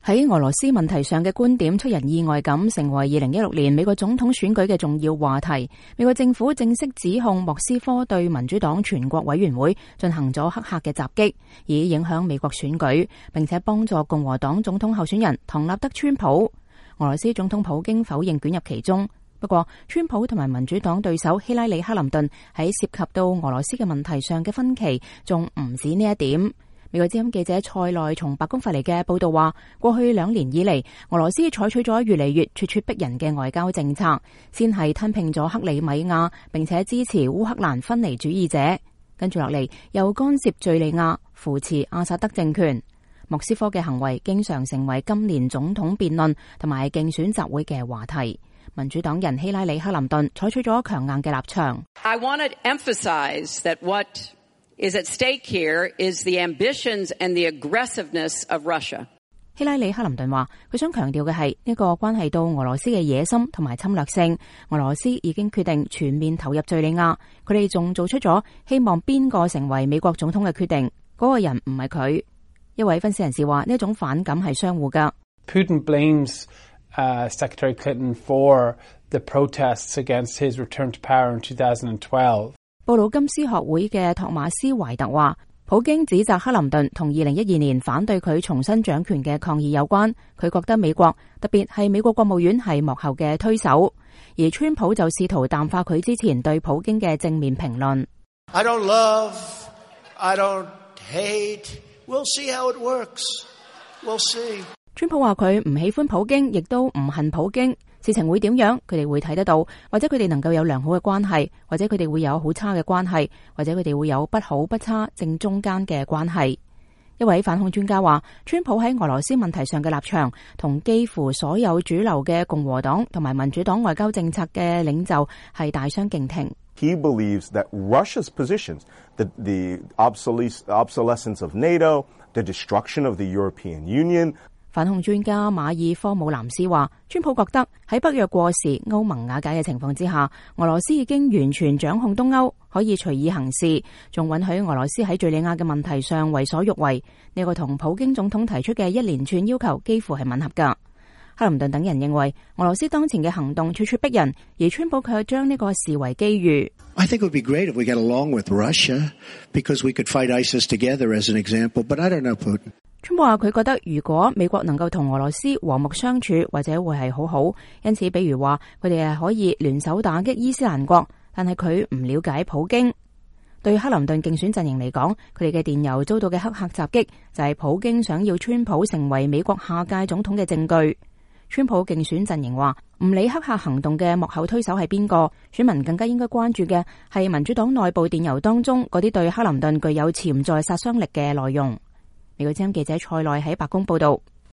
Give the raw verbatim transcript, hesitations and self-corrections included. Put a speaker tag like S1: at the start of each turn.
S1: 喺俄羅斯問題上嘅觀點出人意外咁成為二零一六年美國總統選舉嘅重要話題。美國政府正式指控莫斯科對民主黨全國委員會進行咗黑客嘅襲擊，以影響美國選舉，並且幫助共和黨總統候選人唐納德川普。俄羅斯總統普京否認捲入其中，不過川普同埋民主黨對手希拉里克林頓喺涉及到俄羅斯嘅問題上嘅分歧仲唔止呢一點。美國之音記者塞內從白宮發嚟嘅報道話，過去兩年以嚟，俄羅斯採取咗越嚟越咄咄逼人嘅外交政策，先係吞併咗克里米亞，並且支持烏克蘭分離主義者，跟住落嚟又干涉敘利亞，扶持阿薩德政權。莫斯科嘅行為經常成為今年總統辯論同埋競選集會嘅話題。民主黨人希拉里克林頓採取咗強硬嘅立場。
S2: I want to emphasize that what is at stake here is the ambitions and the aggressiveness of Russia.
S1: 希拉里克林頓話，佢想強調嘅係呢個關係到俄羅斯嘅野心同埋侵略性。俄羅斯已經決定全面投入敘利亞，佢哋仲做出咗希望邊個成為美國總統嘅決定，嗰個人唔係佢。一位分析人士話，呢一種反感係相互噶。
S3: Putin blames uh, Secretary Clinton for the protests against his return to power in two thousand twelve.
S1: 布魯金斯學會嘅托馬斯懷特話，普京指責克林頓同二零一二年反對佢重新掌權嘅抗議有關。佢覺得美國，特別係美國國務院係幕後嘅推手，而川普就試圖淡化佢之前對普京嘅正面評論。
S4: I don't love, I don't hate, we'll see how it works, we'll see.
S1: 川普話佢唔喜歡普京，亦都唔恨普京。事情會點樣，佢哋會睇得到，或者佢哋能夠有良好嘅關係，或者佢哋會有好差嘅關係，或者佢哋會有不好不差正中間嘅關係。一位反恐專家話，川普喺俄羅斯問題上嘅立場同幾乎所有主流嘅共和黨同埋民主黨外交政策嘅領袖係大相徑庭。
S5: He believes that Russia's positions, the, the obsolescence of NATO, the destruction of the European Union.
S1: 反恐專家馬爾科姆南斯話，川普覺得喺北約過時、歐盟瓦解嘅情況之下，俄羅斯已經完全掌控東歐，可以隨意行事，仲允許俄羅斯喺敘利亞嘅問題上為所欲為。呢個同普京總統提出嘅一連串要求幾乎係吻合㗎。克林頓等人認為，俄羅斯當前嘅行動咄咄逼人，而川普卻將呢個視為機遇。
S6: I think it would be great if we get along with Russia, because we could fight ISIS together as an example, but I don't know Putin.
S1: 川普話佢覺得如果美國能夠同俄羅斯和睦相處，或者會係好好。因此，比如話佢哋係可以聯手打擊伊斯蘭國，但係佢唔了解普京。對克林頓競選陣營嚟講，佢哋嘅電郵遭到嘅黑客襲擊就係普京想要川普成為美國下屆總統嘅證據。川普競選陣營話唔理黑客行動嘅幕後推手係邊個，選民更加應該關注嘅係民主黨內部電郵當中嗰啲對克林頓具有潛在殺傷力嘅內容。美國之音記者塞內喺白宮報道。